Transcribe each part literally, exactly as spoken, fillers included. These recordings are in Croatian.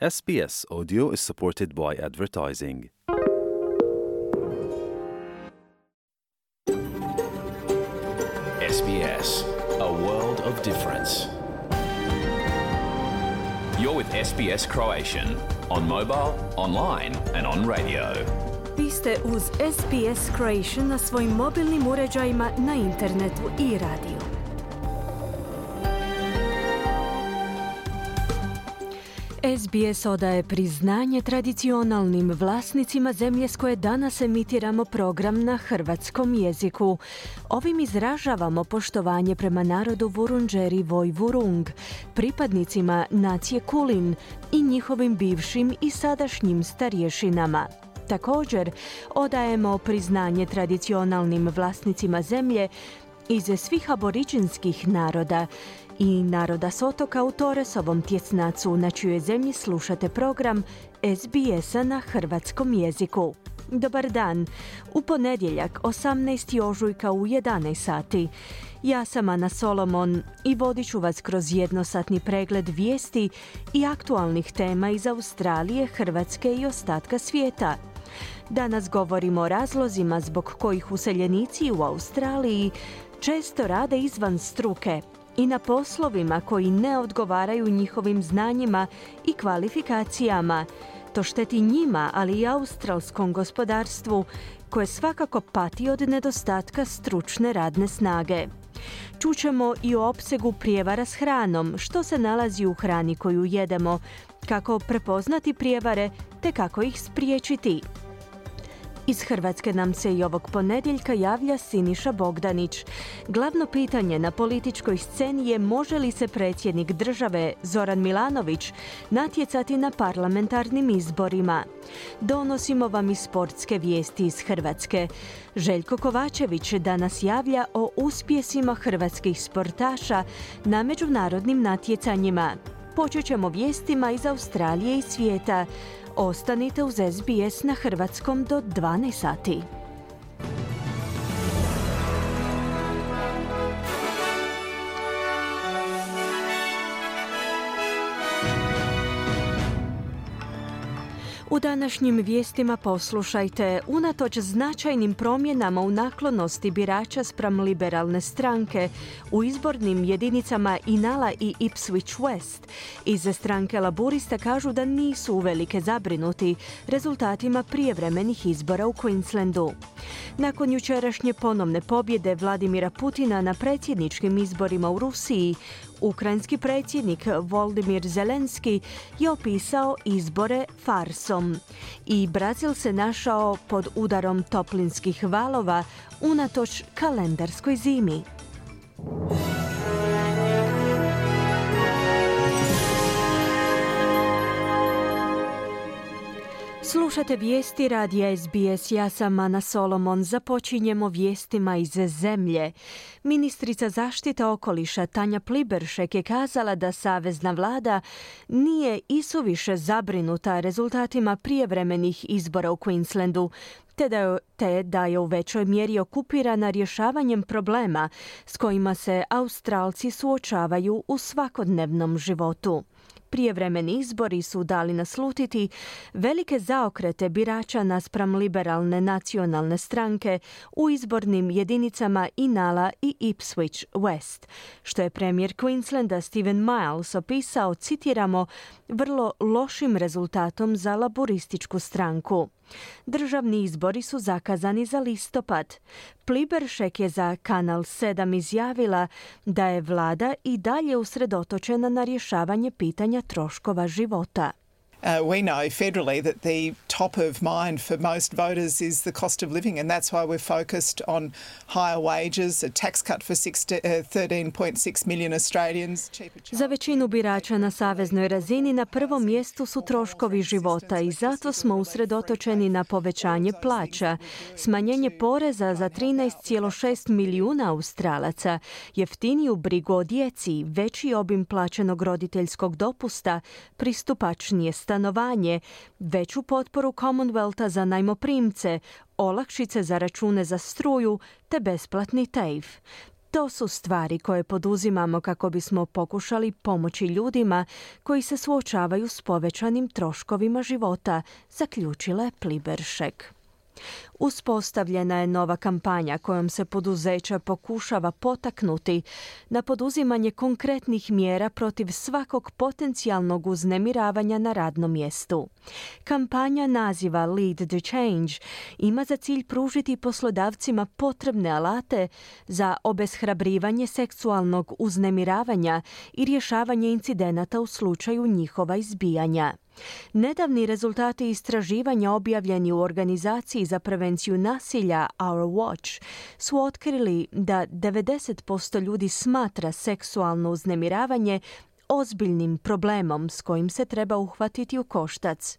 S B S Audio is supported by advertising. S B S, a world of difference. You're with S B S Croatian, on mobile, online and on radio. Vi ste uz S B S Croatian na svojim mobilnim uređajima, na internetu i radiju. S B S odaje priznanje tradicionalnim vlasnicima zemlje s koje danas emitiramo program na hrvatskom jeziku. Ovim izražavamo poštovanje prema narodu Vurundjeri Voi Vurung, pripadnicima nacije Kulin i njihovim bivšim i sadašnjim starješinama. Također, odajemo priznanje tradicionalnim vlasnicima zemlje iz svih aboriđinskih naroda i naroda s otoka u Toresovom tjesnacu, na čijoj zemlji slušate program S B S-a na hrvatskom jeziku. Dobar dan, u ponedjeljak osamnaestog ožujka u jedanaest sati. Ja sam Ana Solomon i vodit ću vas kroz jednosatni pregled vijesti i aktualnih tema iz Australije, Hrvatske i ostatka svijeta. Danas govorimo o razlozima zbog kojih useljenici u Australiji često rade izvan struke i na poslovima koji ne odgovaraju njihovim znanjima i kvalifikacijama. To šteti njima, ali i australskom gospodarstvu, koje svakako pati od nedostatka stručne radne snage. Čućemo i o opsegu prijevara s hranom, što se nalazi u hrani koju jedemo, kako prepoznati prijevare te kako ih spriječiti. Iz Hrvatske nam se i ovog ponedjeljka javlja Siniša Bogdanić. Glavno pitanje na političkoj sceni je može li se predsjednik države Zoran Milanović natjecati na parlamentarnim izborima. Donosimo vam i sportske vijesti iz Hrvatske. Željko Kovačević danas javlja o uspjesima hrvatskih sportaša na međunarodnim natjecanjima. Počet ćemo vijestima iz Australije i svijeta. Ostanite uz S B S na hrvatskom do dvanaest sati. U današnjim vijestima poslušajte, unatoč značajnim promjenama u naklonosti birača spram liberalne stranke u izbornim jedinicama Inala i Ipswich West, iz stranke Laburista kažu da nisu uvelike zabrinuti rezultatima prijevremenih izbora u Queenslandu. Nakon jučerašnje ponovne pobjede Vladimira Putina na predsjedničkim izborima u Rusiji, ukrajinski predsjednik Volodymyr Zelenski je opisao izbore farsom. I Brazil se našao pod udarom toplinskih valova unatoč kalendarskoj zimi. Slušate vijesti radija S B S, ja sam Ana Solomon. Započinjemo vijestima iz zemlje. Ministrica zaštite okoliša Tanja Pliberšek je kazala da savezna vlada nije isuviše zabrinuta rezultatima prijevremenih izbora u Queenslandu, te da, je, te da je u većoj mjeri okupirana rješavanjem problema s kojima se Australci suočavaju u svakodnevnom životu. Prijevremeni izbori su dali naslutiti velike zaokrete birača naspram liberalne nacionalne stranke u izbornim jedinicama Inala i Ipswich West, što je premijer Queenslanda Stephen Miles opisao, citiramo, vrlo lošim rezultatom za laburističku stranku. Državni izbori su zakazani za listopad. Pliberšek je za Kanal sedam izjavila da je vlada i dalje usredotočena na rješavanje pitanja troškova života. Uh, we know federally that the top of mind for most voters is the cost of living, and that's why we're focused on higher wages, a tax cut for thirteen point six million Australians. Za većinu birača na saveznoj razini na prvom mjestu su troškovi života i zato smo usredotočeni na povećanje plaća, smanjenje poreza za trinaest zarez šest milijuna Australaca, jeftiniju brigu o djeci, veći obim plaćenog roditeljskog dopusta, pristupačnije stanovanje, veću potporu Commonwealtha za najmoprimce, olakšice za račune za struju te besplatni tejf. To su stvari koje poduzimamo kako bismo pokušali pomoći ljudima koji se suočavaju s povećanim troškovima života, zaključila je Pliberšek. Uspostavljena je nova kampanja kojom se poduzeća pokušava potaknuti na poduzimanje konkretnih mjera protiv svakog potencijalnog uznemiravanja na radnom mjestu. Kampanja naziva Lead the Change ima za cilj pružiti poslodavcima potrebne alate za obeshrabrivanje seksualnog uznemiravanja i rješavanje incidenata u slučaju njihova izbijanja. Nedavni rezultati istraživanja objavljeni u organizaciji za prevenciju nasilja Our Watch su otkrili da devedeset posto ljudi smatra seksualno uznemiravanje ozbiljnim problemom s kojim se treba uhvatiti u koštac.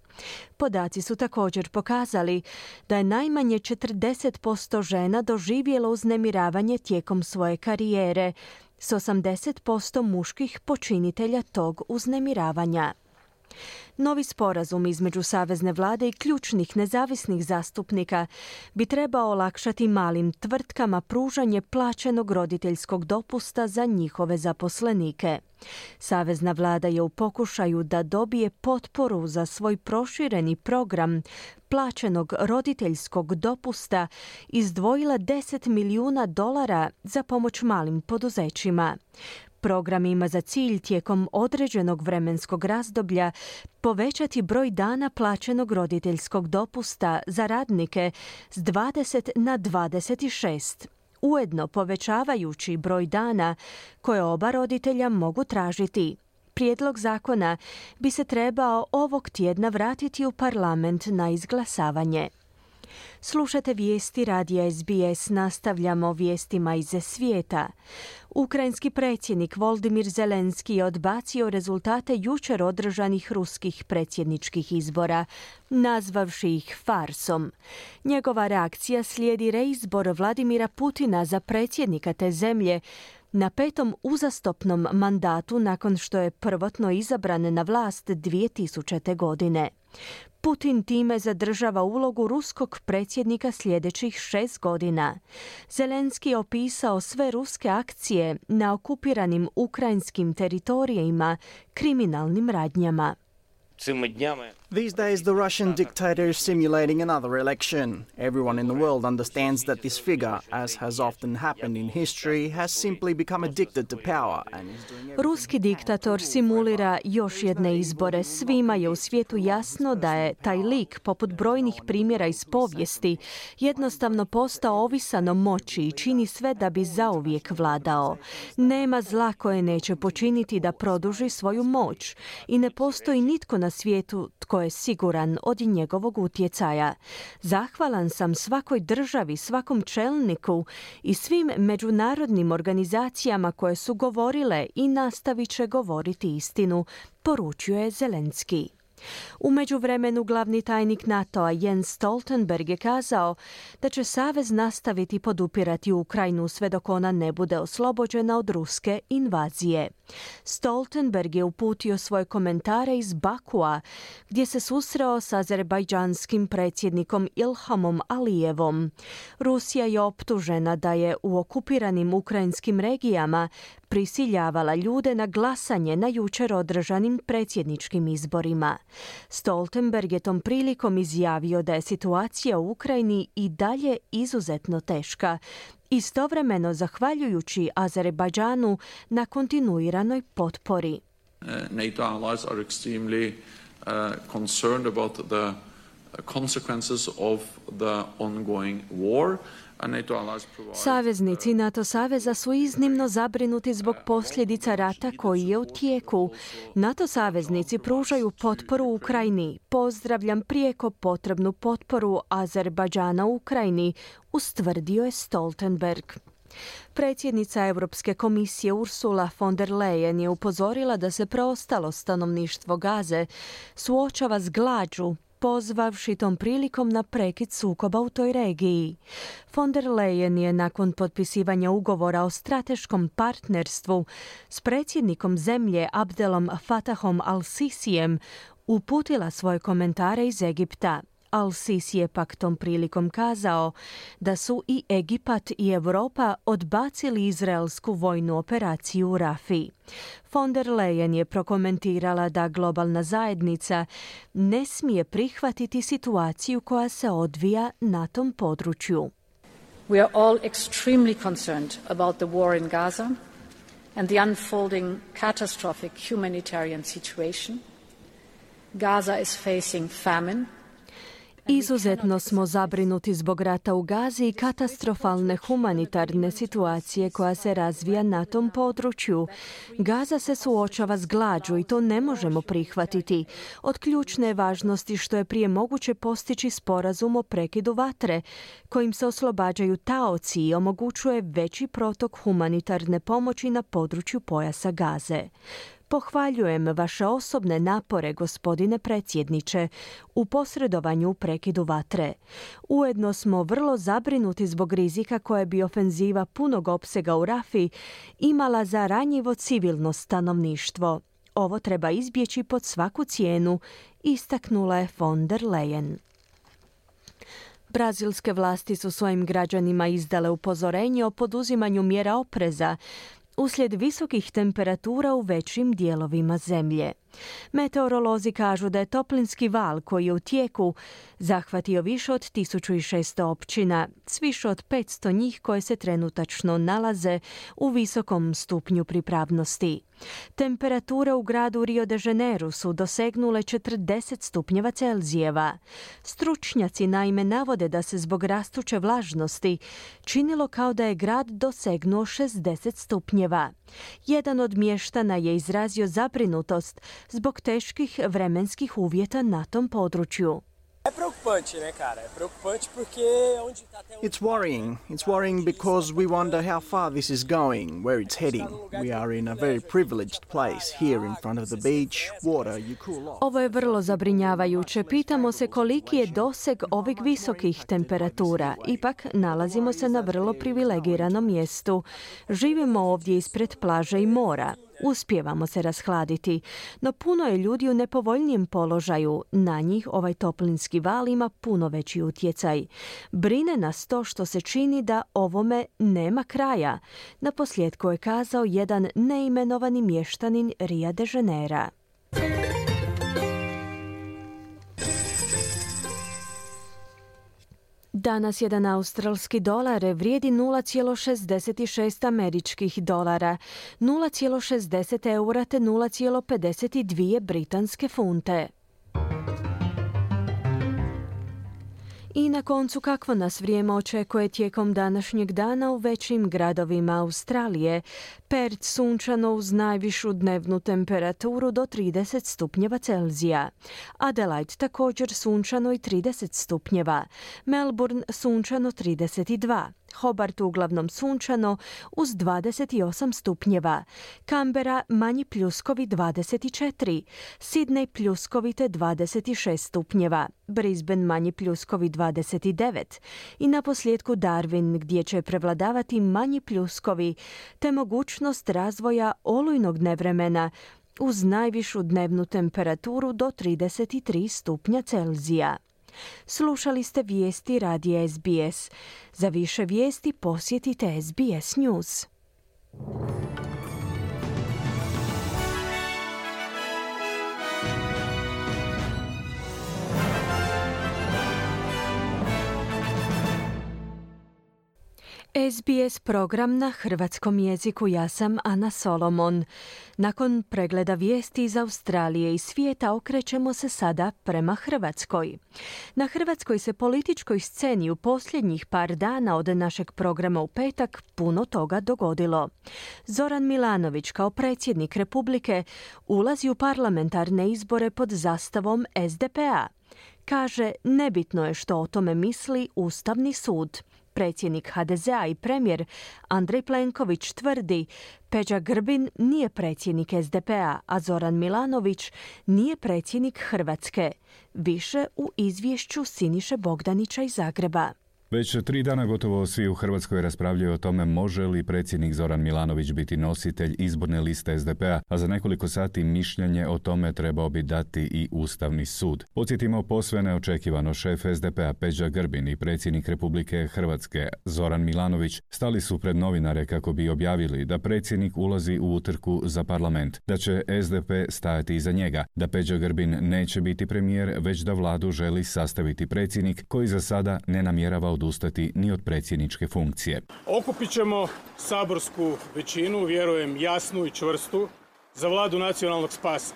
Podaci su također pokazali da je najmanje četrdeset posto žena doživjelo uznemiravanje tijekom svoje karijere, s osamdeset posto muških počinitelja tog uznemiravanja. Novi sporazum između savezne vlade i ključnih nezavisnih zastupnika bi trebao olakšati malim tvrtkama pružanje plaćenog roditeljskog dopusta za njihove zaposlenike. Savezna vlada je u pokušaju da dobije potporu za svoj prošireni program plaćenog roditeljskog dopusta izdvojila deset milijuna dolara za pomoć malim poduzećima. Program ima za cilj tijekom određenog vremenskog razdoblja povećati broj dana plaćenog roditeljskog dopusta za radnike s dvadeset na dvadeset šest, ujedno povećavajući broj dana koje oba roditelja mogu tražiti. Prijedlog zakona bi se trebao ovog tjedna vratiti u parlament na izglasavanje. Slušate vijesti radija S B S, nastavljamo vijestima iz svijeta. Ukrajinski predsjednik Volodymyr Zelenski je odbacio rezultate jučer održanih ruskih predsjedničkih izbora, nazvavši ih farsom. Njegova reakcija slijedi reizbor Vladimira Putina za predsjednika te zemlje na petom uzastopnom mandatu nakon što je prvotno izabran na vlast dvije tisućite. godine. Putin time zadržava ulogu ruskog predsjednika sljedećih šest godina. Zelenski je opisao sve ruske akcije na okupiranim ukrajinskim teritorijima kriminalnim radnjama. These days, the Russian dictator is simulating another election. Everyone in the world understands that this figure, as has often happened in history, has simply become addicted to power and is doing everything. Ruski diktator simulira još jedne izbore. Svima je u svijetu jasno da je taj lik, poput brojnih primjera iz povijesti, jednostavno postao ovisan o moći i čini sve da bi zauvijek vladao. Nema zla koje neće počiniti da produži svoju moć i ne postoji nitko na svijetu tko je siguran od njegovog utjecaja. Zahvalan sam svakoj državi, svakom čelniku i svim međunarodnim organizacijama koje su govorile i nastavit će govoriti istinu, poručio je Zelenski. U međuvremenu glavni tajnik NATO-a Jens Stoltenberg je kazao da će savez nastaviti podupirati Ukrajinu sve dok ona ne bude oslobođena od ruske invazije. Stoltenberg je uputio svoje komentare iz Bakua, gdje se susreo s azerbajdžanskim predsjednikom Ilhamom Alijevom. Rusija je optužena da je u okupiranim ukrajinskim regijama prisiljavala ljude na glasanje na jučer održanim predsjedničkim izborima. Stoltenberg je tom prilikom izjavio da je situacija u Ukrajini i dalje izuzetno teška, istovremeno zahvaljujući Azerbajdžanu na kontinuiranoj potpori. Uh, NATO allies are extremely uh, concerned about the consequences of the ongoing war. Saveznici NATO saveza su iznimno zabrinuti zbog posljedica rata koji je u tijeku. NATO saveznici pružaju potporu Ukrajini. Pozdravljam prijeko potrebnu potporu Azerbajdžana u Ukrajini, ustvrdio je Stoltenberg. Predsjednica Europske komisije Ursula von der Leyen je upozorila da se preostalo stanovništvo Gaze suočava s glađu, pozvavši tom prilikom na prekid sukoba u toj regiji. Von der Leyen je nakon potpisivanja ugovora o strateškom partnerstvu s predsjednikom zemlje Abdelom Fattahom al-Sisijem uputila svoje komentare iz Egipta. Al-Sisi je pak tom prilikom kazao da su i Egipat i Europa odbacili izraelsku vojnu operaciju u Rafiji. Von der Leyen je prokomentirala da globalna zajednica ne smije prihvatiti situaciju koja se odvija na tom području. We are all extremely concerned about the war in Gaza and the unfolding catastrophic humanitarian situation. Gaza is facing famine. Izuzetno smo zabrinuti zbog rata u Gazi i katastrofalne humanitarne situacije koja se razvija na tom području. Gaza se suočava s glađu i to ne možemo prihvatiti. Od ključne važnosti što je prije moguće postići sporazum o prekidu vatre, kojim se oslobađaju taoci i omogućuje veći protok humanitarne pomoći na području pojasa Gaze. Pohvaljujem vaše osobne napore, gospodine predsjedniče, u posredovanju u prekidu vatre. Ujedno smo vrlo zabrinuti zbog rizika koje bi ofenziva punog opsega u Rafi imala za ranjivo civilno stanovništvo. Ovo treba izbjeći pod svaku cijenu, istaknula je von der Leyen. Brazilske vlasti su svojim građanima izdale upozorenje o poduzimanju mjera opreza uslijed visokih temperatura u većim dijelovima zemlje. Meteorolozi kažu da je toplinski val koji je u tijeku zahvatio više od tisuću šesto općina, s više od petsto njih koje se trenutačno nalaze u visokom stupnju pripravnosti. Temperature u gradu Rio de Janeiro su dosegnule četrdeset stupnjeva Celzijeva. Stručnjaci naime navode da se zbog rastuće vlažnosti činilo kao da je grad dosegnuo šezdeset stupnjeva. Jedan od mještana je izrazio zabrinutost zbog teških vremenskih uvjeta na tom području. It's worrying. It's worrying because we wonder how far this is going, where it's heading. We are in a very privileged place here in front of the beach, water you cool off. Ovo je vrlo zabrinjavajuće. Pitamo se koliki je doseg ovih visokih temperatura. Ipak nalazimo se na vrlo privilegiranom mjestu. Živimo ovdje ispred plaže i mora. Uspijevamo se rashladiti, no puno je ljudi u nepovoljnijem položaju. Na njih ovaj toplinski val ima puno veći utjecaj. Brine nas to što se čini da ovome nema kraja. Naposljetku je kazao jedan neimenovani mještanin Ria de Janeira. Danas jedan australski dolar vrijedi nula zarez šezdeset šest američkih dolara, nula zarez šezdeset eura te nula zarez pedeset dvije britanske funte. I na koncu kakvo nas vrijeme očekuje tijekom današnjeg dana u većim gradovima Australije. Perth sunčano uz najvišu dnevnu temperaturu do trideset stupnjeva Celzija. Adelaide također sunčano i trideset stupnjeva. Melbourne sunčano trideset dva. Hobart uglavnom sunčano uz dvadeset osam stupnjeva. Canberra manji pljuskovi dvadeset četiri. Sydney pljuskovite dvadeset šest stupnjeva. Brisbane manji pljuskovi dvadeset devet. I naposljetku Darwin gdje će prevladavati manji pljuskovi te mogućnost razvoja olujnog nevremena uz najvišu dnevnu temperaturu do trideset tri stupnja Celzija. Slušali ste vijesti radija S B S. Za više vijesti posjetite S B S News. S B S program na hrvatskom jeziku. Ja sam Ana Solomon. Nakon pregleda vijesti iz Australije i svijeta okrećemo se sada prema Hrvatskoj. Na hrvatskoj se političkoj sceni u posljednjih par dana od našeg programa u petak puno toga dogodilo. Zoran Milanović kao predsjednik Republike ulazi u parlamentarne izbore pod zastavom S D P A. Kaže, nebitno je što o tome misli Ustavni sud. Predsjednik H D Z A i premijer Andrej Plenković tvrdi Peđa Grbin nije predsjednik S D P A, a Zoran Milanović nije predsjednik Hrvatske. Više u izvješću Siniše Bogdanića iz Zagreba. Već tri dana gotovo svi u Hrvatskoj raspravljaju o tome može li predsjednik Zoran Milanović biti nositelj izborne liste es de pe a, a za nekoliko sati mišljenje o tome trebao bi dati i Ustavni sud. Podsjetimo, posve neočekivano šef es de pe a Peđa Grbin i predsjednik Republike Hrvatske Zoran Milanović stali su pred novinare kako bi objavili da predsjednik ulazi u utrku za parlament, da će es de pe stajati iza njega, da Peđa Grbin neće biti premijer, već da vladu želi sastaviti predsjednik koji za sada ne namjerava odustati ni od predsjedničke funkcije. Okupit ćemo saborsku većinu, vjerujem jasnu i čvrstu, za vladu nacionalnog spasa.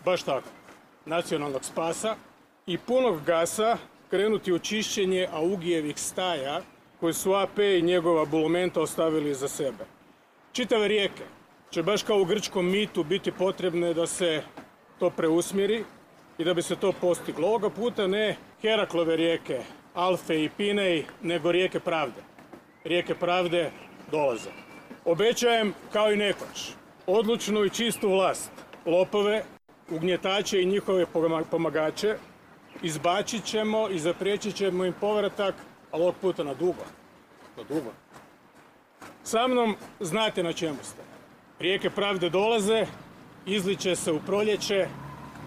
Baš tako, nacionalnog spasa i punog gasa krenuti u čišćenje Augijevih staja koje su a pe i njegova bulumenta ostavili za sebe. Čitave rijeke će baš kao u grčkom mitu biti potrebne da se to preusmjeri i da bi se to postiglo. Ovoga puta ne Heraklove rijeke, Alfe i Pinej, nego rijeke pravde. Rijeke pravde dolaze. Obećajem, kao i nekoć, odlučnu i čistu vlast, lopove, ugnjetače i njihove pomagače, izbacit ćemo i zapriječit ćemo im povratak, ali ovog puta na dugo. Na dugo. Sa mnom znate na čemu ste. Rijeke pravde dolaze, izliče se u proljeće,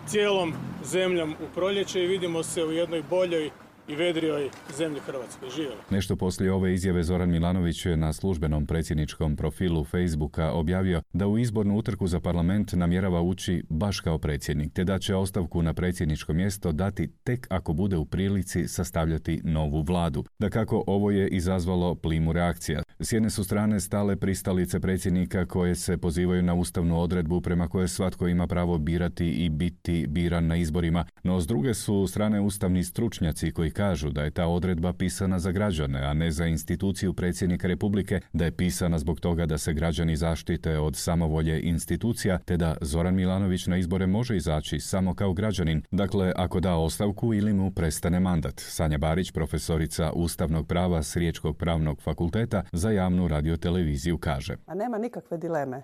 cijelom zemljom u proljeće i vidimo se u jednoj boljoj i vedrijoj zemlji Hrvatskoj. Živjeli. Nešto poslije ove izjave Zoran Milanović je na službenom predsjedničkom profilu Facebooka objavio da u izbornu utrku za parlament namjerava ući baš kao predsjednik, te da će ostavku na predsjedničko mjesto dati tek ako bude u prilici sastavljati novu vladu. Dakako, ovo je izazvalo plimu reakcija. S jedne su strane stale pristalice predsjednika koje se pozivaju na ustavnu odredbu prema kojoj svatko ima pravo birati i biti biran na izborima, no s druge su strane ustavni stručnjaci koji kažu da je ta odredba pisana za građane, a ne za instituciju predsjednika Republike, da je pisana zbog toga da se građani zaštite od samovolje institucija, te da Zoran Milanović na izbore može izaći samo kao građanin, dakle ako da ostavku ili mu prestane mandat. Sanja Barić, profesorica ustavnog prava s Riječkog pravnog fakulteta, za javnu radioteleviziju kaže: A nema nikakve dileme.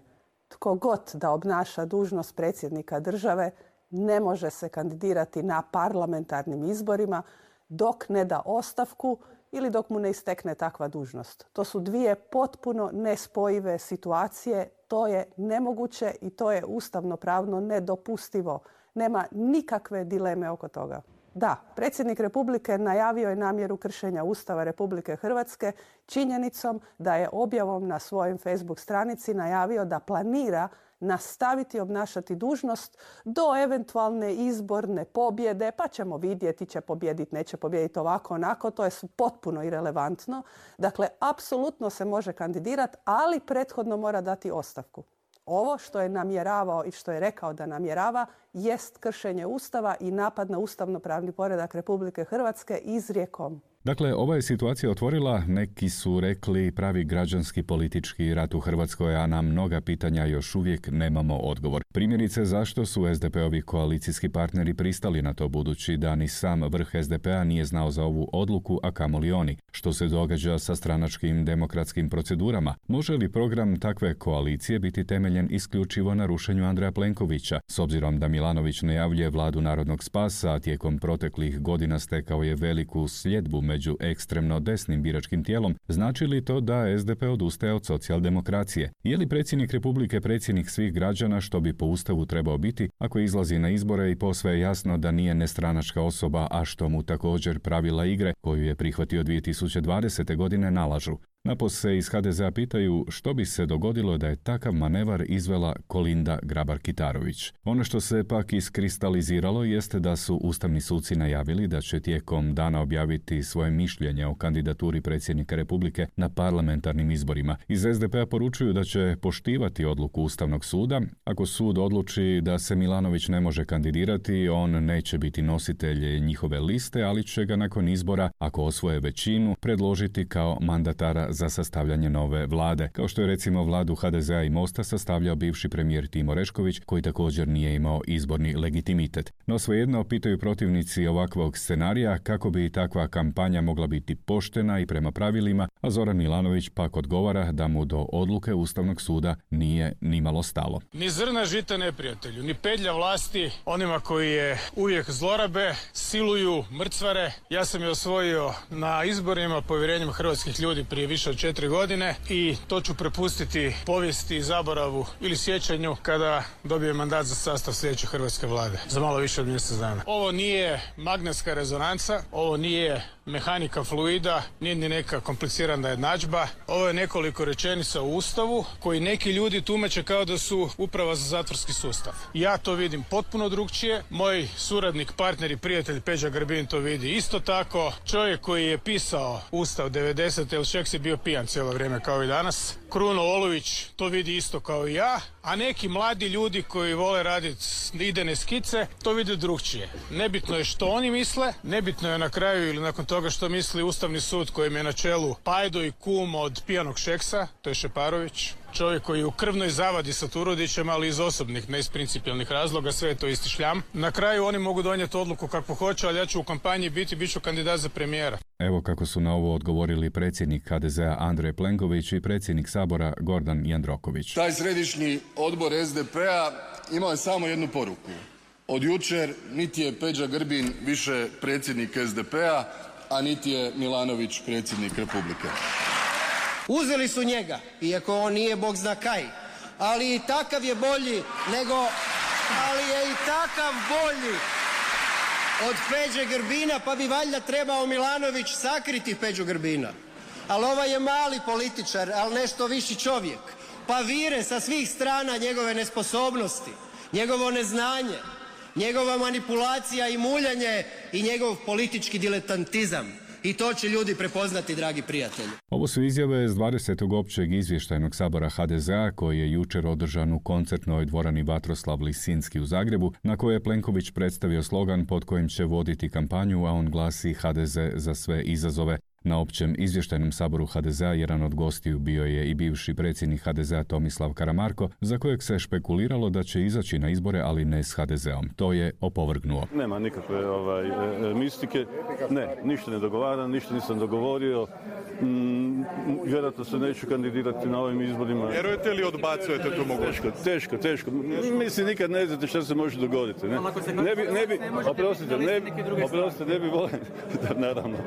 Tko god da obnaša dužnost predsjednika države ne može se kandidirati na parlamentarnim izborima dok ne da ostavku ili dok mu ne istekne takva dužnost. To su dvije potpuno nespojive situacije. To je nemoguće i to je ustavno-pravno nedopustivo. Nema nikakve dileme oko toga. Da, predsjednik Republike najavio je namjeru kršenja Ustava Republike Hrvatske činjenicom da je objavom na svojoj Facebook stranici najavio da planira nastaviti obnašati dužnost do eventualne izborne pobjede, pa ćemo vidjeti, će pobjediti, neće pobijediti, ovako, onako, to je potpuno irelevantno. Dakle, apsolutno se može kandidirati, ali prethodno mora dati ostavku. Ovo što je namjeravao i što je rekao da namjerava jest kršenje Ustava i napad na ustavno-pravni poredak Republike Hrvatske izrijekom. Dakle, ova je situacija otvorila, neki su rekli, pravi građanski politički rat u Hrvatskoj, a na mnoga pitanja još uvijek nemamo odgovor. Primjerice, zašto su es de pe ovi koalicijski partneri pristali na to, budući da ni sam vrh es de pe a nije znao za ovu odluku, a kamoli oni? Što se događa sa stranačkim demokratskim procedurama? Može li program takve koalicije biti temeljen isključivo na rušenju Andreja Plenkovića? S obzirom da Milanović najavljuje vladu narodnog spasa, a tijekom proteklih godina stekao je veliku sljedbu među ekstremno desnim biračkim tijelom, znači li to da es de pe odustaje od socijaldemokracije? Je li predsjednik Republike predsjednik svih građana, što bi po Ustavu trebao biti, ako izlazi na izbore i posve je jasno da nije nestranačka osoba, a što mu također pravila igre koju je prihvatio dvije tisuće dvadesete godine nalažu? Napose se iz ha de ze a pitaju što bi se dogodilo da je takav manevar izvela Kolinda Grabar-Kitarović. Ono što se pak iskristaliziralo jeste da su ustavni suci najavili da će tijekom dana objaviti svoje mišljenje o kandidaturi predsjednika Republike na parlamentarnim izborima. Iz es de pe a poručuju da će poštivati odluku Ustavnog suda. Ako sud odluči da se Milanović ne može kandidirati, on neće biti nositelj njihove liste, ali će ga nakon izbora, ako osvoje većinu, predložiti kao mandatara za sastavljanje nove vlade, kao što je recimo vladu ha de zea i Mosta sastavljao bivši premijer Timo Orešković, koji također nije imao izborni legitimitet. No svejedno pitaju protivnici ovakvog scenarija kako bi takva kampanja mogla biti poštena i prema pravilima, a Zoran Milanović pak odgovara da mu do odluke Ustavnog suda nije nimalo stalo. Ni zrna žita neprijatelju, ni pedlja vlasti onima koji je uvijek zlorabe, siluju, mrcvare. Ja sam je osvojio na izborima povjerenjem hrvatskih ljudi prije više od četiri godine i to ću prepustiti povijesti i zaboravu ili sjećanju kada dobije mandat za sastav sljedeće hrvatske vlade za malo više od mjesec dana. Ovo nije magnetska rezonanca, ovo nije mehanika fluida, nije ni neka komplicirana jednadžba. Ovo je nekoliko rečenica u Ustavu koji neki ljudi tumače kao da su uprava za zatvorski sustav. Ja to vidim potpuno drugčije. Moj suradnik, partner i prijatelj Peđa Grbin to vidi isto tako. Čovjek koji je pisao Ustav devedesete ili Šeks je bio pijan cijelo vrijeme kao i danas. Kruno Olović to vidi isto kao i ja, a neki mladi ljudi koji vole raditi idejne skice to vide drugčije. Nebitno je što oni misle, nebitno je na kraju ili nakon toga što misli Ustavni sud kojem je na čelu pajdo i kum od pijanog Šeksa, to je Šeparović. Čovjek koji je u krvnoj zavadi sa Turudićem, ali iz osobnih, ne iz principijelnih razloga, sve je to isti šljam. Na kraju oni mogu donijeti odluku kako hoće, ali ja ću u kampanji biti, bit ću kandidat za premijera. Evo kako su na ovo odgovorili predsjednik ha de zea Andrej Plenković i predsjednik Sabora Gordan Jandroković. Taj središnji odbor es de pe-a imao je samo jednu poruku. Od jučer niti je Peđa Grbin više predsjednik es de pe-a, a niti je Milanović predsjednik Republike. Uzeli su njega, iako on nije bog zna kaj, ali i takav je bolji nego, ali je i takav bolji od Peđe Grbina, pa bi valjda trebao Milanović sakriti Peđu Grbina. Ali ovaj je mali političar, ali nešto viši čovjek, pa vire sa svih strana njegove nesposobnosti, njegovo neznanje, njegova manipulacija i muljanje i njegov politički diletantizam. I to će ljudi prepoznati, dragi prijatelji. Ovo su izjave s dvadesetog općeg izvještajnog sabora ha de zea koji je jučer održan u koncertnoj dvorani Vatroslav Lisinski u Zagrebu, na kojoj je Plenković predstavio slogan pod kojim će voditi kampanju, a on glasi ha de ze za sve izazove. Na općem izvještajnom saboru ha de zea jedan od gostiju bio je i bivši predsjednik ha de zea Tomislav Karamarko, za kojeg se špekuliralo da će izaći na izbore, ali ne s ha de zeom. To je opovrgnuo. Nema nikakve ovaj, e, mistike, ne, ništa ne dogovaram, ništa nisam dogovorio. Mm, vjerojatno se neću kandidirati na ovim izborima. Vjerujete li odbacujete tu mogućnost? Teško, teško, teško. Mislim, nikad ne znate što se može dogoditi. Ne, ne bi, ne bi, oprostite, ne bi, oprostite, ne bi volio. Naravno,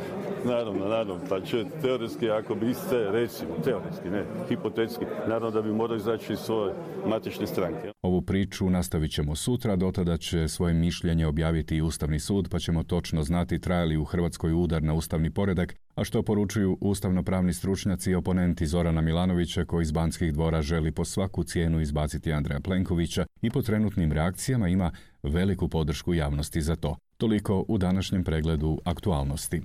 naravno, naravno. Pa će teoretski, ako biste, recimo, teoretski, ne, hipotetski, naravno da bi morali izaći iz svoje matične stranke. Ovu priču nastavit ćemo sutra, do tada će svoje mišljenje objaviti i Ustavni sud, pa ćemo točno znati traje li u Hrvatskoj udar na ustavni poredak, a što poručuju ustavnopravni stručnjaci i oponenti Zorana Milanovića, koji iz Banskih dvora želi po svaku cijenu izbaciti Andreja Plenkovića i po trenutnim reakcijama ima veliku podršku javnosti za to. Toliko u današnjem pregledu aktualnosti.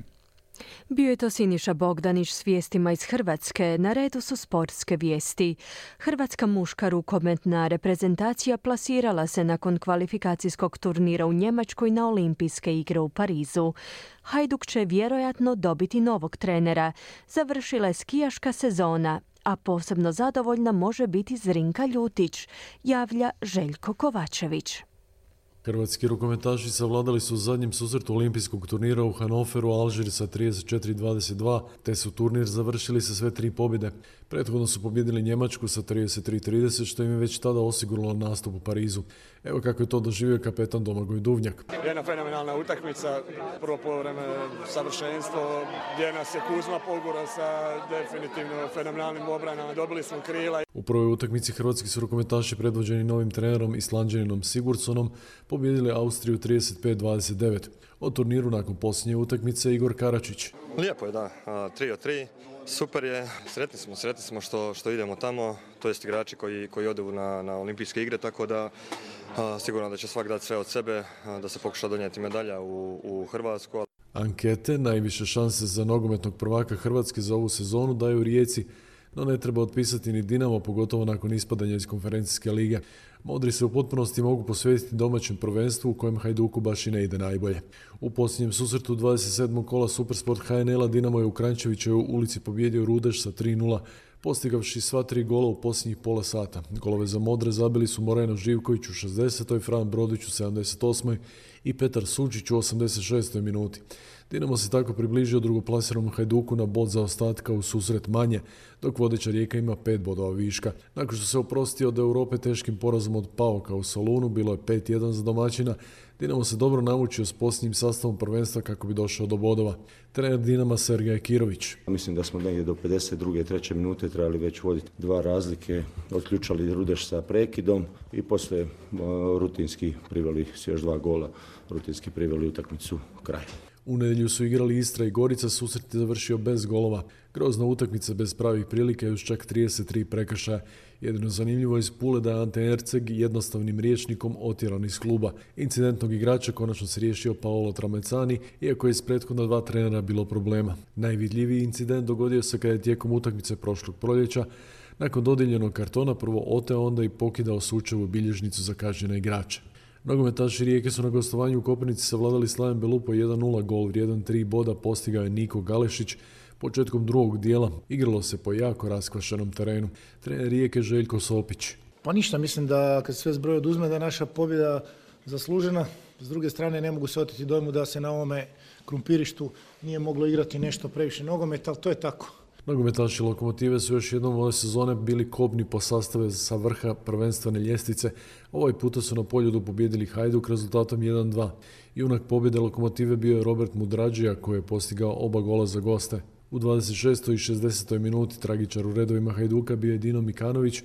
Bio je to Siniša Bogdanić s vijestima iz Hrvatske. Na redu su sportske vijesti. Hrvatska muška rukometna reprezentacija plasirala se nakon kvalifikacijskog turnira u Njemačkoj na Olimpijske igre u Parizu. Hajduk će vjerojatno dobiti novog trenera. Završila je skijaška sezona, a posebno zadovoljna može biti Zrinka Ljutić, javlja Željko Kovačević. Hrvatski rukometaši savladali su u zadnjem susretu olimpijskog turnira u Hanoveru Alžir sa trideset četiri dvadeset dva, te su turnir završili sa sve tri pobjede. Prethodno su pobjedili Njemačku sa trideset tri trideset, što im je već tada osiguralo nastup u Parizu. Evo kako je to doživio kapetan Domagoj Duvnjak. Jedna fenomenalna utakmica, prvo poluvreme savršenstvo, gdje nas je Kuzma pogurao sa definitivno fenomenalnim obranama, dobili smo krila. U prvoj utakmici hrvatski su rukometaši predvođeni novim trenerom Islanđaninom Sigurdssonom pobijedili Austriju trideset pet dvadeset devet. O turniru nakon posljednje utakmice Igor Karačić. Lijepo je, da, tri od tri. Super je, sretni smo, sretni smo što, što idemo tamo, to jest igrači koji, koji odu na, na olimpijske igre, tako da a, sigurno da će svak dati sve od sebe, a, da se pokuša donijeti medalja u, u Hrvatsku. Ankete najviše šanse za nogometnog prvaka Hrvatske za ovu sezonu daju Rijeci, no ne treba otpisati ni Dinamo, pogotovo nakon ispadanja iz konferencijske lige. Modri se u potpunosti mogu posvetiti domaćem prvenstvu u kojem Hajduku baš i ne ide najbolje. U posljednjem susretu dvadeset sedmog kola Supersport H N L-a Dinamo je u Kranjčevićevoj ulici pobijedio Rudeš sa tri nula, postigavši sva tri gola u posljednjih pola sata. Golove za Modre zabili su Moreno Živković u šezdesetoj, Fran Brodić u sedamdeset osmoj i Petar Sučić u osamdeset šestoj minuti. Dinamo se tako približio drugoplasiranom Hajduku na bod zaostatka u susret manje, dok vodeća Rijeka ima pet bodova viška. Nakon što se oprostio od Europe teškim porazom od Pauka u Solunu, bilo je pet jedan za domaćina, Dinamo se dobro namučio s posljednjim sastavom prvenstva kako bi došao do bodova. Trener Dinama Sergej Kirović. Mislim da smo negdje do pedeset druge i treće minute trebali već voditi dva razlike, otključali Rudeš sa prekidom i poslije rutinski priveli s još dva gola, rutinski priveli utakmicu kraju. U nedjelju su igrali Istra i Gorica, susret je završio bez golova. Grozna utakmica bez pravih prilika i uz čak trideset tri prekršaja. Jedino zanimljivo iz Pule da je Ante Erceg jednostavnim rječnikom otjeran iz kluba. Incidentnog igrača konačno se riješio Paolo Tramezzani, iako je iz prethodna dva trenera bilo problema. Najvidljiviji incident dogodio se kada je tijekom utakmice prošlog proljeća nakon dodijeljenog kartona prvo oteo, onda i pokidao Sučevu bilježnicu za kažnjene igrače. Nogometaši Rijeke su na gostovanju u Koprivnici savladali Slaven Belupo jedan nula, gol vrijedan tri boda postigao je Niko Galešić. Početkom drugog dijela igralo se po jako raskvašenom terenu. Trener Rijeke Željko Sopić. Pa ništa, mislim da kad sve zbroj oduzme da je naša pobjeda zaslužena. S druge strane ne mogu se oteti dojmu da se na ovome krumpirištu nije moglo igrati nešto previše nogometa, ali to je tako. Nogometaši Lokomotive su još jednom ove sezone bili kobni po sastave sa vrha prvenstvene ljestvice. Ovaj puta su na Poljudu pobijedili Hajduk rezultatom jedan dva. Junak pobjede Lokomotive bio je Robert Mudrađija koji je postigao oba gola za goste. U dvadeset šestoj i šezdesetoj minuti tragičar u redovima Hajduka bio je Dino Mikanović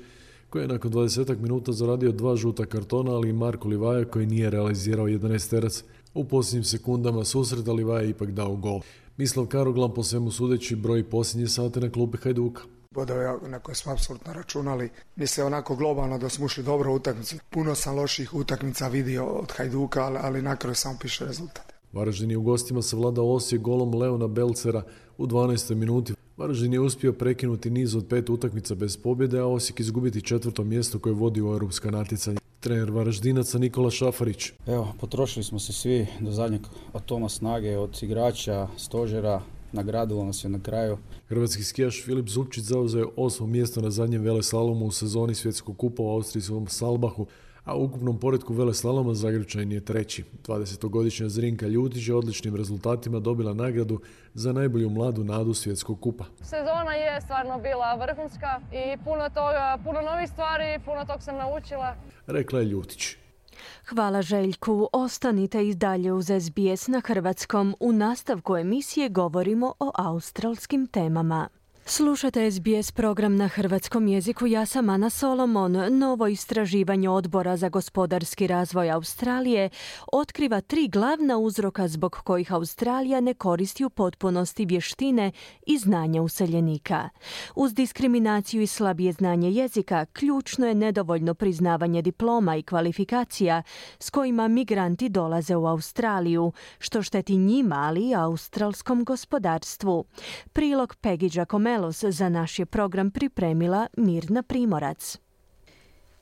koji je nakon dvadesetak minuta zaradio dva žuta kartona, ali i Marko Livaja koji nije realizirao jedanaesterac. U posljednjim sekundama susreta Livaja je ipak dao gol. Mislav Karoglan po svemu sudeći broji posljednje sate na klupi Hajduka. Bodove na koje smo apsolutno računali. Mislim onako globalno da smo ušli dobro u utakmicu. Puno sam loših utakmica vidio od Hajduka, ali, ali na kraju samo piše rezultat. Varaždin je u gostima savladao Osijek golom Leona Belcera u dvanaestoj minuti. Varaždin je uspio prekinuti niz od pet utakmica bez pobjede, a Osijek izgubiti četvrto mjesto koje vodi u europska natjecanja. Trener Varaždinaca Nikola Šafarić. Evo, potrošili smo se svi do zadnjeg atoma snage od igrača, stožera, nagradilo nas je na kraju. Hrvatski skijaš Filip Zupčić zauzeo je osmo mjesto na zadnjem veleslalomu u sezoni svjetskog kupa u austrijskom Salbahu, a u ukupnom poretku veleslaloma Zagrepčanin je treći. dvadesetogodišnja Zrinka Ljutić je odličnim rezultatima dobila nagradu za najbolju mladu nadu svjetskog kupa. Sezona je stvarno bila vrhunska i puno toga, puno novih stvari, puno tog sam naučila. Rekla je Ljutić. Hvala Željku. Ostanite i dalje uz S B S na hrvatskom. U nastavku emisije govorimo o australskim temama. Slušate S B S program na hrvatskom jeziku. Ja sam Ana Solomon. Novo istraživanje Odbora za gospodarski razvoj Australije otkriva tri glavna uzroka zbog kojih Australija ne koristi u potpunosti vještine i znanja useljenika. Uz diskriminaciju i slabije znanje jezika, ključno je nedovoljno priznavanje diploma i kvalifikacija s kojima migranti dolaze u Australiju, što šteti njima, ali i australskom gospodarstvu. Prilog Peggy Giacomello za naš je program pripremila Mirna Primorac.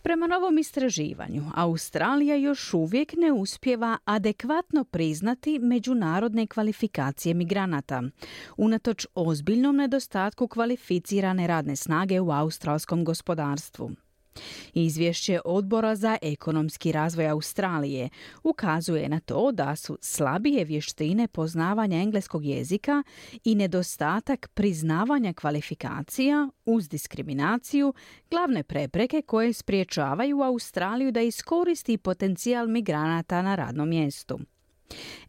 Prema novom istraživanju, Australija još uvijek ne uspijeva adekvatno priznati međunarodne kvalifikacije migranata, unatoč ozbiljnom nedostatku kvalificirane radne snage u australskom gospodarstvu. Izvješće Odbora za ekonomski razvoj Australije ukazuje na to da su slabije vještine poznavanja engleskog jezika i nedostatak priznavanja kvalifikacija uz diskriminaciju glavne prepreke koje spriječavaju Australiju da iskoristi potencijal migranata na radnom mjestu.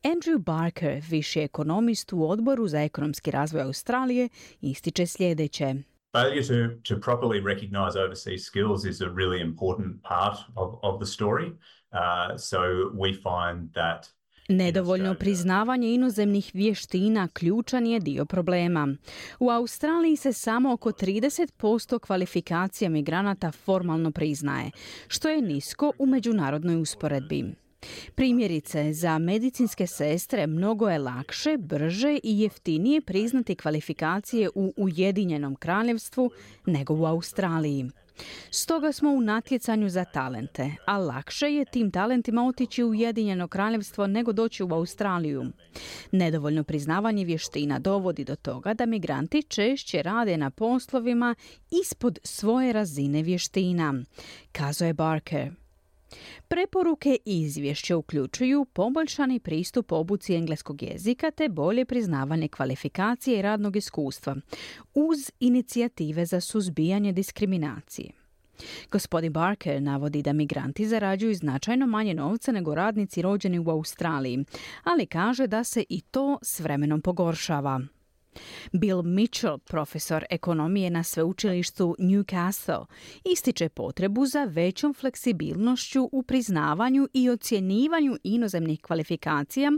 Andrew Barker, viši ekonomist u Odboru za ekonomski razvoj Australije, ističe sljedeće. Failure to, to properly recognise overseas skills is a really important part of, of the story. Uh, so we find that Nedovoljno priznavanje inozemnih vještina ključan je dio problema. U Australiji se samo oko trideset posto kvalifikacija migranata formalno priznaje, što je nisko u međunarodnoj usporedbi. Primjerice, za medicinske sestre mnogo je lakše, brže i jeftinije priznati kvalifikacije u Ujedinjenom Kraljevstvu nego u Australiji. Stoga smo u natjecanju za talente, a lakše je tim talentima otići u Ujedinjeno kraljevstvo nego doći u Australiju. Nedovoljno priznavanje vještina dovodi do toga da migranti češće rade na poslovima ispod svoje razine vještina, kazao je Barker. Preporuke i izvješće uključuju poboljšani pristup obuci engleskog jezika te bolje priznavanje kvalifikacije i radnog iskustva, uz inicijative za suzbijanje diskriminacije. Gospodin Barker navodi da migranti zarađuju značajno manje novca nego radnici rođeni u Australiji, ali kaže da se i to s vremenom pogoršava. Bill Mitchell, profesor ekonomije na sveučilištu Newcastle, ističe potrebu za većom fleksibilnošću u priznavanju i ocjenjivanju inozemnih kvalifikacija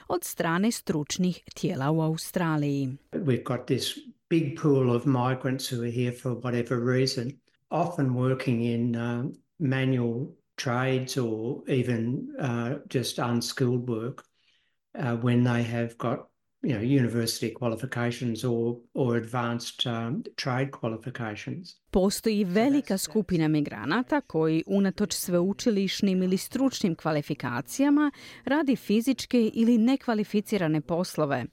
od strane stručnih tijela u Australiji. We've got this big pool of migrants who are here for whatever reason, often working in uh, manual trades or even uh, just unskilled work uh, when they have got you know, university qualifications or, or advanced um, trade qualifications. Postoji velika skupina migranata koji unatoč sveučilišnim ili stručnim kvalifikacijama radi fizičke ili nekvalificirane poslove.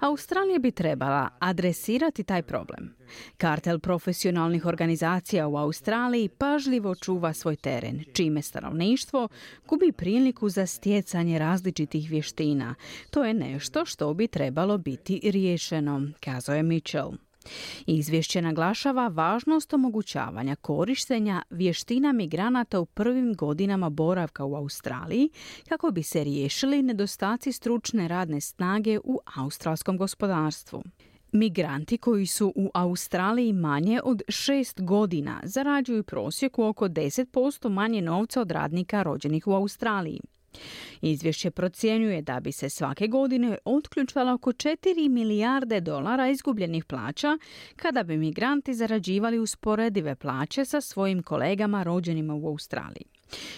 Australija bi trebala adresirati taj problem. Kartel profesionalnih organizacija u Australiji pažljivo čuva svoj teren, čime stanovništvo gubi priliku za stjecanje različitih vještina. To je nešto što bi trebalo biti riješeno, kazao je Mitchell. Izvješće naglašava važnost omogućavanja korištenja vještina migranata u prvim godinama boravka u Australiji kako bi se riješili nedostaci stručne radne snage u australskom gospodarstvu. Migranti koji su u Australiji manje od šest godina zarađuju prosjeku oko deset posto manje novca od radnika rođenih u Australiji. Izvješće procjenjuje da bi se svake godine otključalo oko četiri milijarde dolara izgubljenih plaća kada bi migranti zarađivali usporedive plaće sa svojim kolegama rođenima u Australiji.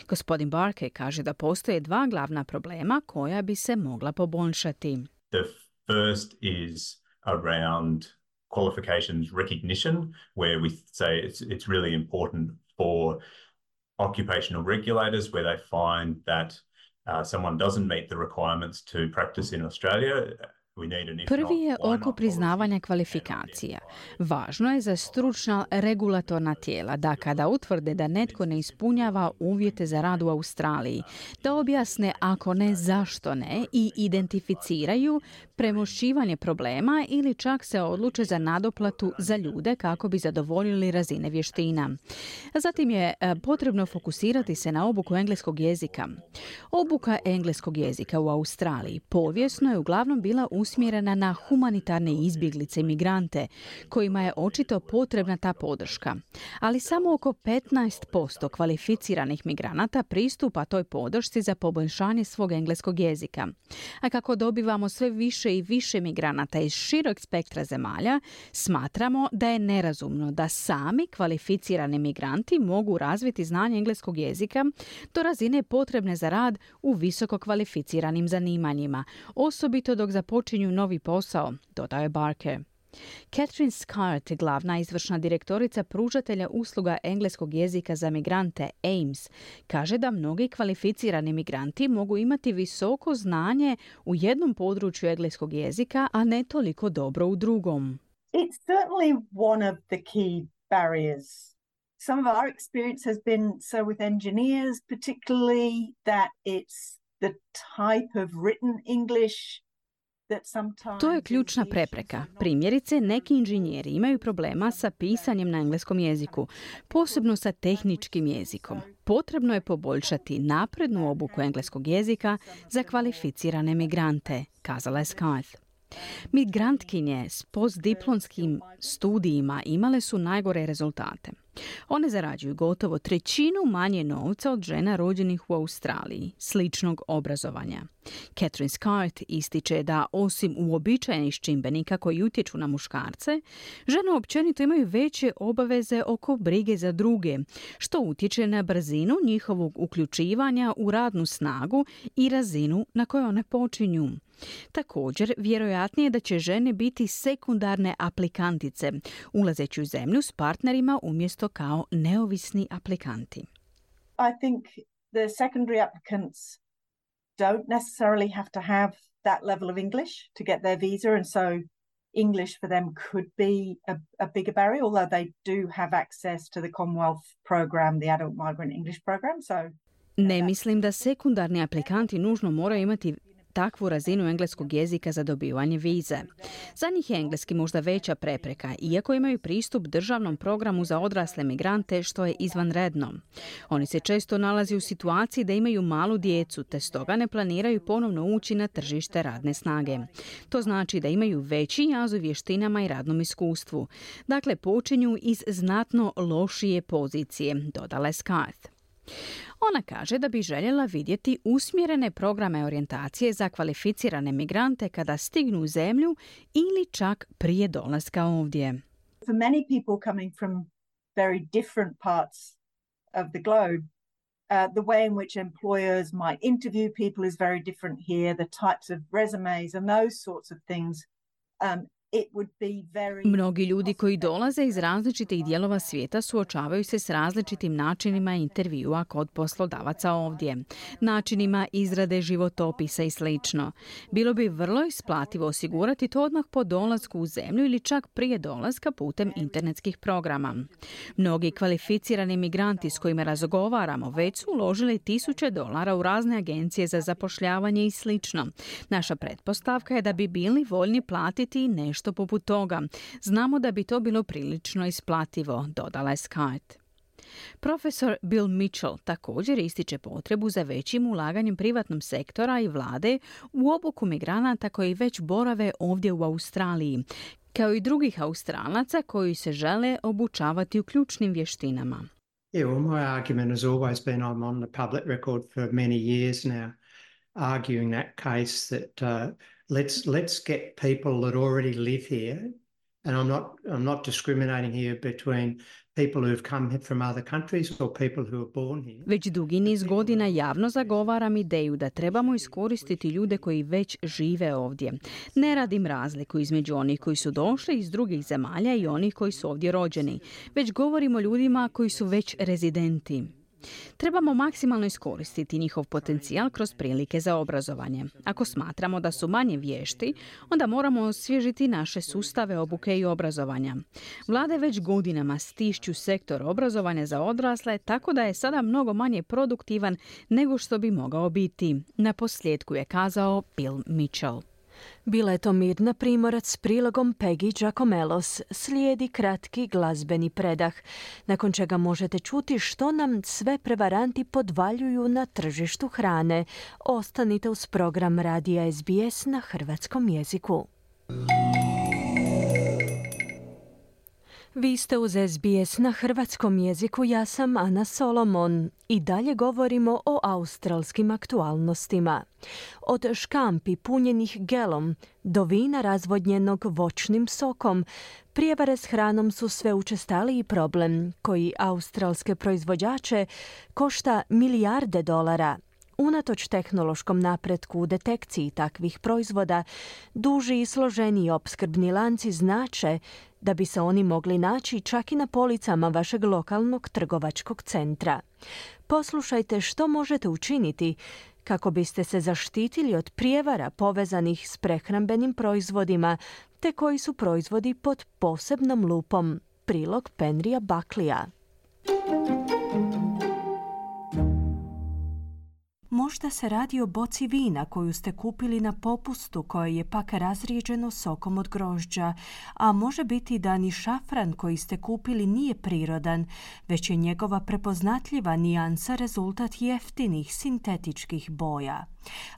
Gospodin Barker kaže da postoje dva glavna problema koja bi se mogla poboljšati. The first is around qualifications recognition, where we say it's, it's really important for occupational regulators where they find that Uh, someone doesn't meet the requirements to practice in Australia. Prvi je oko priznavanja kvalifikacija. Važno je za stručna regulatorna tijela da kada utvrde da netko ne ispunjava uvjete za rad u Australiji, da objasne ako ne zašto ne i identificiraju premošćivanje problema ili čak se odluče za nadoplatu za ljude kako bi zadovoljili razine vještina. Zatim je potrebno fokusirati se na obuku engleskog jezika. Obuka engleskog jezika u Australiji povijesno je uglavnom bila usmjerena na humanitarne izbjeglice i migrante, kojima je očito potrebna ta podrška. Ali samo oko petnaest posto kvalificiranih migranata pristupa toj podršci za poboljšanje svog engleskog jezika. A kako dobivamo sve više i više migranata iz širok spektra zemalja, smatramo da je nerazumno da sami kvalificirani migranti mogu razviti znanje engleskog jezika do razine potrebne za rad u visoko kvalificiranim zanimanjima, osobito dok započinju novi posao, dodao je Barker. Catherine Scott, glavna izvršna direktorica pružatelja usluga engleskog jezika za migrante A I M S, kaže da mnogi kvalificirani migranti mogu imati visoko znanje u jednom području engleskog jezika, a ne toliko dobro u drugom. It's certainly one of the key barriers. Some of our experience has been so with engineers particularly that it's the type of written English. To je ključna prepreka. Primjerice, neki inženjeri imaju problema sa pisanjem na engleskom jeziku, posebno sa tehničkim jezikom. Potrebno je poboljšati naprednu obuku engleskog jezika za kvalificirane migrante, kazala je Scott. Migrantkinje s postdiplomskim studijima imale su najgore rezultate. One zarađuju gotovo trećinu manje novca od žena rođenih u Australiji, sličnog obrazovanja. Catherine Scarth ističe da osim uobičajenih čimbenika koji utječu na muškarce, žene općenito imaju veće obaveze oko brige za druge, što utječe na brzinu njihovog uključivanja u radnu snagu i razinu na kojoj one počinju. Također, vjerojatnije je da će žene biti sekundarne aplikantice, ulazeći u zemlju s partnerima umjesto kao neovisni aplikanti. I think the secondary applicants don't necessarily have to have that level of English to get their visa, and so English for them could be a, a bigger barrier, although they do have access to the Commonwealth program, the Adult Migrant English program. So ne mislim da sekundarni aplikanti nužno moraju imati takvu razinu engleskog jezika za dobivanje vize. Za njih je engleski možda veća prepreka, iako imaju pristup državnom programu za odrasle migrante, što je izvanredno. Oni se često nalaze u situaciji da imaju malu djecu, te stoga ne planiraju ponovno ući na tržište radne snage. To znači da imaju veći jaz u vještinama i radnom iskustvu. Dakle, počinju iz znatno lošije pozicije, dodala je Scarth. Ona kaže da bi željela vidjeti usmjerene programe orijentacije za kvalificirane migrante kada stignu u zemlju ili čak prije dolaska ovdje. For many people coming from very different parts of the globe, uh, the way in which employers might interview people is very different here, the types of resumes and those sorts of things. Um, Mnogi ljudi koji dolaze iz različitih dijelova svijeta suočavaju se s različitim načinima intervjua kod poslodavaca ovdje, načinima izrade životopisa i sl. Bilo bi vrlo isplativo osigurati to odmah po dolasku u zemlju ili čak prije dolaska putem internetskih programa. Mnogi kvalificirani migranti s kojima razgovaramo već su uložili tisuće dolara u razne agencije za zapošljavanje i sl. Naša pretpostavka je da bi bili voljni platiti nešto što poput toga. Znamo da bi to bilo prilično isplativo, dodala je Scarth. Profesor Bill Mitchell također ističe potrebu za većim ulaganjem privatnom sektora i vlade u obuku migranata koji već borave ovdje u Australiji, kao i drugih Australaca koji se žele obučavati u ključnim vještinama. Yeah, well, my argument has always been, I'm on the public record for many years now, arguing that case that uh, let's let's get people that already live here, and I'm not I'm not discriminating here between people who've come from other countries or people who are born here. Već dugi niz godina javno zagovaram ideju da trebamo iskoristiti ljude koji već žive ovdje. Ne radim razliku između onih koji su došli iz drugih zemalja i onih koji su ovdje rođeni, već govorimo o ljudima koji su već rezidenti. Trebamo maksimalno iskoristiti njihov potencijal kroz prilike za obrazovanje. Ako smatramo da su manje vješti, onda moramo osvježiti naše sustave obuke i obrazovanja. Vlade već godinama stišću sektor obrazovanja za odrasle, tako da je sada mnogo manje produktivan nego što bi mogao biti. Na posljedku je kazao Bill Mitchell. Bila je to Mirna Primorac s prilogom Peggy Giacomelos. Slijedi kratki glazbeni predah, nakon čega možete čuti što nam sve prevaranti podvaljuju na tržištu hrane. Ostanite uz program radija S B S na hrvatskom jeziku. Vi ste uz S B S na hrvatskom jeziku, ja sam Ana Solomon. I dalje govorimo o australskim aktualnostima. Od škampi punjenih gelom do vina razvodnjenog voćnim sokom, prijevare s hranom su sve učestaliji problem koji australske proizvođače košta milijarde dolara. Unatoč tehnološkom napretku u detekciji takvih proizvoda, duži i složeniji opskrbni lanci znače da bi se oni mogli naći čak i na policama vašeg lokalnog trgovačkog centra. Poslušajte što možete učiniti kako biste se zaštitili od prijevara povezanih s prehrambenim proizvodima, te koji su proizvodi pod posebnom lupom. Prilog Penrija Buckleya. Možda se radi o boci vina koju ste kupili na popustu koje je pak razrijeđeno sokom od grožđa, a može biti da ni šafran koji ste kupili nije prirodan, već je njegova prepoznatljiva nijansa rezultat jeftinih sintetičkih boja.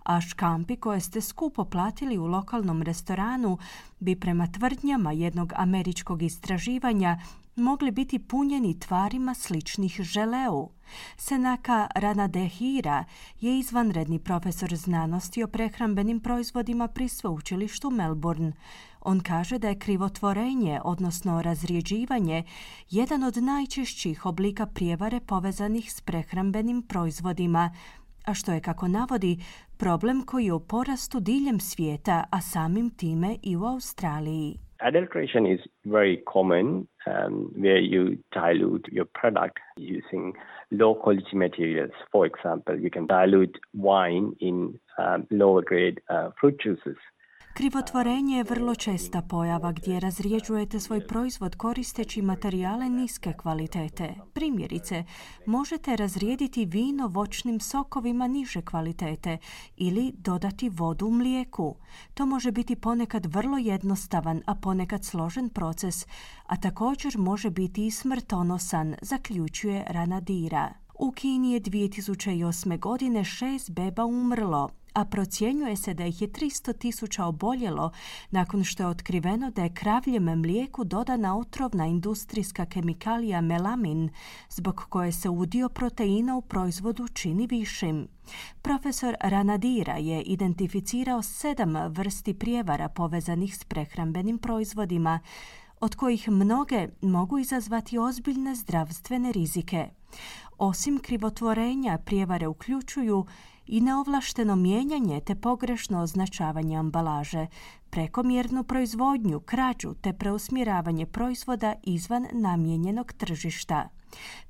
A škampi koje ste skupo platili u lokalnom restoranu bi prema tvrdnjama jednog američkog istraživanja mogli biti punjeni tvarima sličnih želeu. Senaka Ranadehira je izvanredni profesor znanosti o prehrambenim proizvodima pri sveučilištu Melbourne. On kaže da je krivotvorenje, odnosno razrijeđivanje, jedan od najčešćih oblika prijevare povezanih s prehrambenim proizvodima, a što je, kako navodi, problem koji je u porastu diljem svijeta, a samim time i u Australiji. Adulteration is very common um, where you dilute your product using low quality materials. For example, you can dilute wine in um, lower grade uh, fruit juices. Krivotvorenje je vrlo česta pojava gdje razrijeđujete svoj proizvod koristeći materijale niske kvalitete. Primjerice, možete razrijediti vino voćnim sokovima niže kvalitete ili dodati vodu u mlijeku. To može biti ponekad vrlo jednostavan, a ponekad složen proces, a također može biti i smrtonosan, zaključuje Ranadira. U Kini je dvije tisuće osme. godine šest beba umrlo, a procjenjuje se da ih je tristo tisuća oboljelo nakon što je otkriveno da je kravljem mlijeku dodana otrovna industrijska kemikalija melamin, zbog koje se udio proteina u proizvodu čini višim. Profesor Ranadira je identificirao sedam vrsti prijevara povezanih s prehrambenim proizvodima, od kojih mnoge mogu izazvati ozbiljne zdravstvene rizike. Osim krivotvorenja, prijevare uključuju i neovlašteno mijenjanje te pogrešno označavanje ambalaže, prekomjernu proizvodnju, krađu te preusmjeravanje proizvoda izvan namijenjenog tržišta.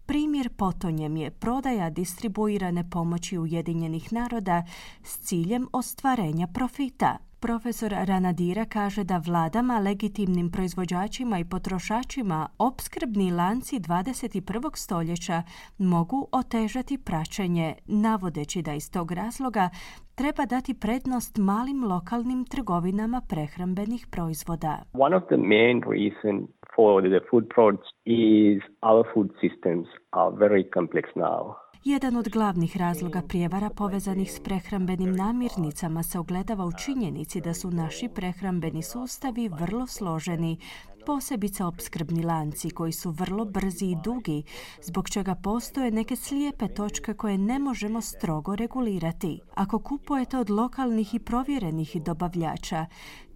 Primjer potonjem je prodaja distribuirane pomoći Ujedinjenih naroda s ciljem ostvarenja profita. Profesor Ranadira kaže da vladama, legitimnim proizvođačima i potrošačima opskrbni lanci dvadeset prvog stoljeća mogu otežati praćenje, navodeći da iz tog razloga treba dati prednost malim lokalnim trgovinama prehrambenih proizvoda. One of the main reasons for the food frauds is our food systems are very complex now. Jedan od glavnih razloga prijevara povezanih s prehrambenim namirnicama se ogledava u činjenici da su naši prehrambeni sustavi vrlo složeni, posebice opskrbni lanci koji su vrlo brzi i dugi, zbog čega postoje neke slijepe točke koje ne možemo strogo regulirati. Ako kupujete od lokalnih i provjerenih dobavljača,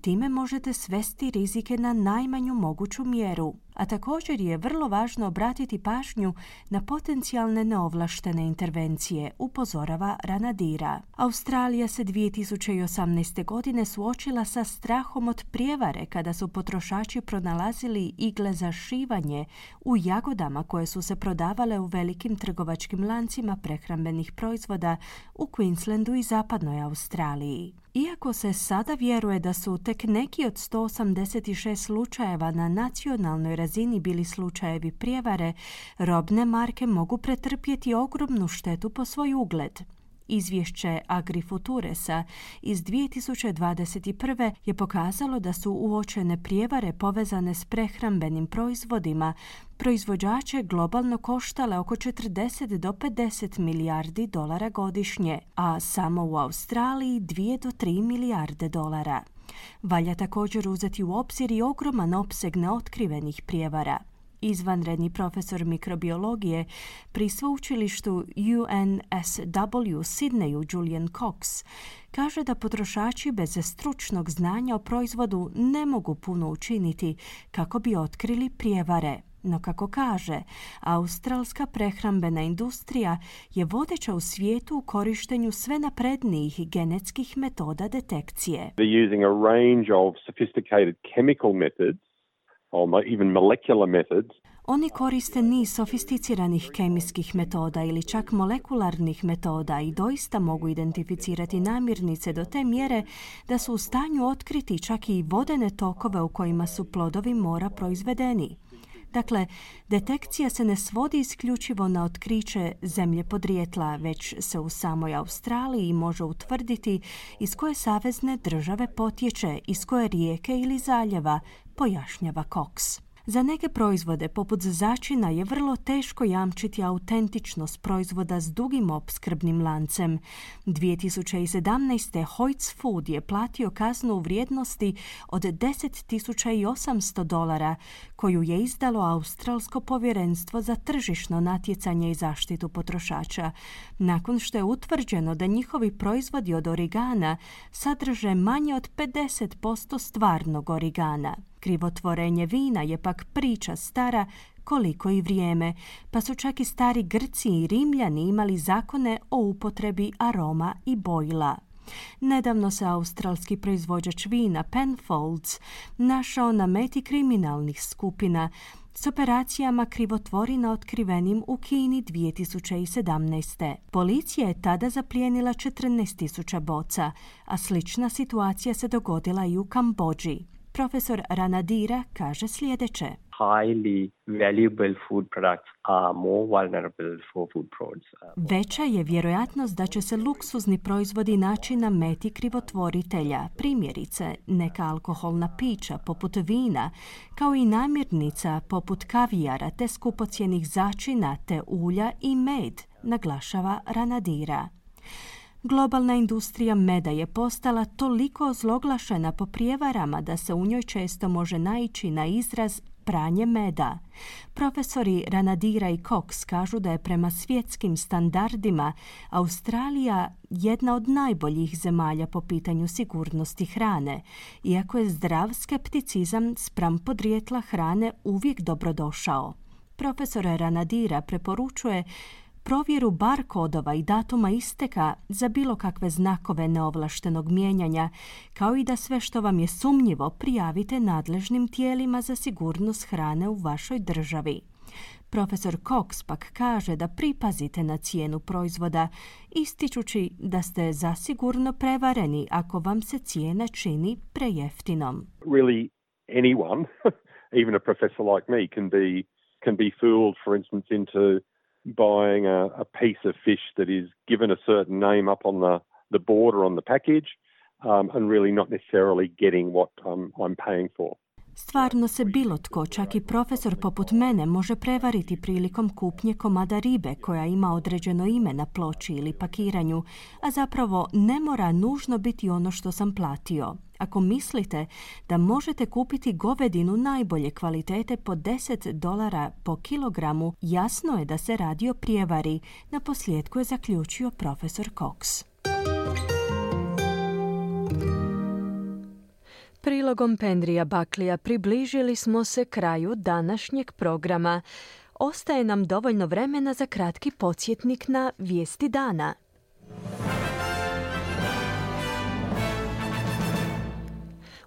time možete svesti rizike na najmanju moguću mjeru. A također je vrlo važno obratiti pažnju na potencijalne neovlaštene intervencije, upozorava Ranadira. Australija se dvije tisuće osamnaeste. godine suočila sa strahom od prijevare kada su potrošači pronalazili igle za šivanje u jagodama koje su se prodavale u velikim trgovačkim lancima prehrambenih proizvoda u Queenslandu i zapadnoj Australiji. Iako se sada vjeruje da su tek neki od sto osamdeset šest slučajeva na nacionalnoj razini bili slučajevi prijevare, robne marke mogu pretrpjeti ogromnu štetu po svoj ugled. Izvješće AgriFuturesa iz dvije tisuće dvadeset prve. je pokazalo da su uočene prijevare povezane s prehrambenim proizvodima proizvođače globalno koštale oko četrdeset do pedeset milijardi dolara godišnje, a samo u Australiji dvije do tri milijarde dolara. Valja također uzeti u obzir i ogroman opseg neotkrivenih prijevara. Izvanredni profesor mikrobiologije pri sveučilištu U N S W u Sidneju Julian Cox kaže da potrošači bez stručnog znanja o proizvodu ne mogu puno učiniti kako bi otkrili prijevare. No kako kaže, australska prehrambena industrija je vodeća u svijetu u korištenju sve naprednijih genetskih metoda detekcije. They're using a range of sophisticated chemical methods or even molecular methods. Oni koriste niz sofisticiranih kemijskih metoda ili čak molekularnih metoda i doista mogu identificirati namirnice do te mjere da su u stanju otkriti čak i vodene tokove u kojima su plodovi mora proizvedeni. Dakle, detekcija se ne svodi isključivo na otkriće zemlje podrijetla, već se u samoj Australiji može utvrditi iz koje savezne države potječe, iz koje rijeke ili zaljeva, pojašnjava Cox. Za neke proizvode poput začina je vrlo teško jamčiti autentičnost proizvoda s dugim opskrbnim lancem. dvije tisuće sedamnaeste. Hoyts Food je platio kaznu u vrijednosti od deset tisuća osamsto dolara koju je izdalo Australsko povjerenstvo za tržišno natjecanje i zaštitu potrošača, nakon što je utvrđeno da njihovi proizvodi od origana sadrže manje od pedeset posto stvarnog origana. Krivotvorenje vina je pak priča stara koliko i vrijeme, pa su čak i stari Grci i Rimljani imali zakone o upotrebi aroma i bojila. Nedavno se australski proizvođač vina Penfolds našao na meti kriminalnih skupina s operacijama krivotvorina otkrivenim u Kini dvije tisuće sedamnaeste. Policija je tada zaplijenila četrnaest tisuća boca, a slična situacija se dogodila i u Kambodži. Profesor Ranadira kaže sljedeće. Highly valuable food products are more vulnerable for food frauds. Veća je vjerojatnost da će se luksuzni proizvodi naći na meti krivotvoritelja, primjerice neka alkoholna pića poput vina, kao i namirnica poput kavijara te skupocjenih začina te ulja i med, naglašava Ranadira. Globalna industrija meda je postala toliko ozloglašena po prijevarama da se u njoj često može naići na izraz pranje meda. Profesori Ranadira i Cox kažu da je prema svjetskim standardima Australija jedna od najboljih zemalja po pitanju sigurnosti hrane, iako je zdrav skepticizam spram podrijetla hrane uvijek dobrodošao. Profesor Ranadira preporučuje provjeru bar kodova i datuma isteka za bilo kakve znakove neovlaštenog mijenjanja, kao i da sve što vam je sumnjivo prijavite nadležnim tijelima za sigurnost hrane u vašoj državi. Profesor Cox pak kaže da pripazite na cijenu proizvoda, ističući da ste zasigurno prevareni ako vam se cijena čini prejeftinom. Really anyone, even a professor like me, can be can be fooled, for instance, into buying a, a piece of fish that is given a certain name up on the, the border on the package um, and really not necessarily getting what um, I'm paying for. Stvarno se bilo tko, čak i profesor poput mene, može prevariti prilikom kupnje komada ribe koja ima određeno ime na ploči ili pakiranju, a zapravo ne mora nužno biti ono što sam platio. Ako mislite da možete kupiti govedinu najbolje kvalitete po deset dolara po kilogramu, jasno je da se radi o prijevari, na posljedku je zaključio profesor Cox. Prilogom Pendrija Baklija približili smo se kraju današnjeg programa. Ostaje nam dovoljno vremena za kratki podsjetnik na vijesti dana.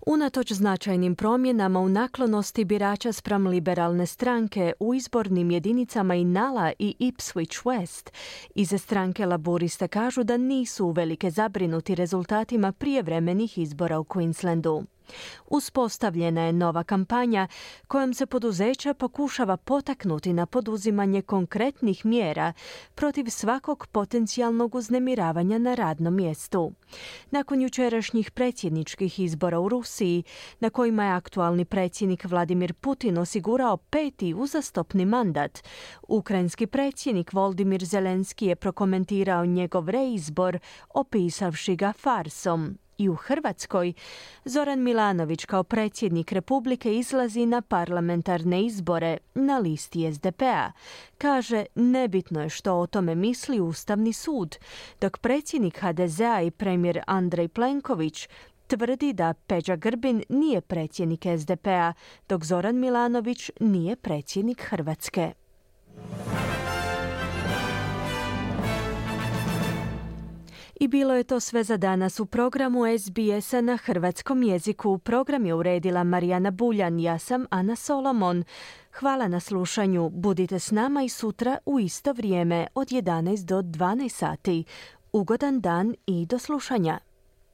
Unatoč značajnim promjenama u naklonosti birača spram liberalne stranke u izbornim jedinicama Inala i Ipswich West, iza stranke Laburista kažu da nisu uvelike zabrinuti rezultatima prijevremenih izbora u Queenslandu. Uspostavljena je nova kampanja kojom se poduzeća pokušava potaknuti na poduzimanje konkretnih mjera protiv svakog potencijalnog uznemiravanja na radnom mjestu. Nakon jučerašnjih predsjedničkih izbora u Rusiji, na kojima je aktualni predsjednik Vladimir Putin osigurao peti uzastopni mandat, ukrajinski predsjednik Volodymyr Zelenski je prokomentirao njegov reizbor opisavši ga farsom. I u Hrvatskoj Zoran Milanović kao predsjednik Republike izlazi na parlamentarne izbore na listi es de pe-a. Kaže, nebitno je što o tome misli Ustavni sud, dok predsjednik ha de ze-a i premijer Andrej Plenković tvrdi da Peđa Grbin nije predsjednik es de pe-a, dok Zoran Milanović nije predsjednik Hrvatske. I bilo je to sve za danas u programu es be es-a na hrvatskom jeziku. Program je uredila Marijana Buljan, ja sam Ana Solomon. Hvala na slušanju. Budite s nama i sutra u isto vrijeme od jedanaest do dvanaest sati. Ugodan dan i do slušanja.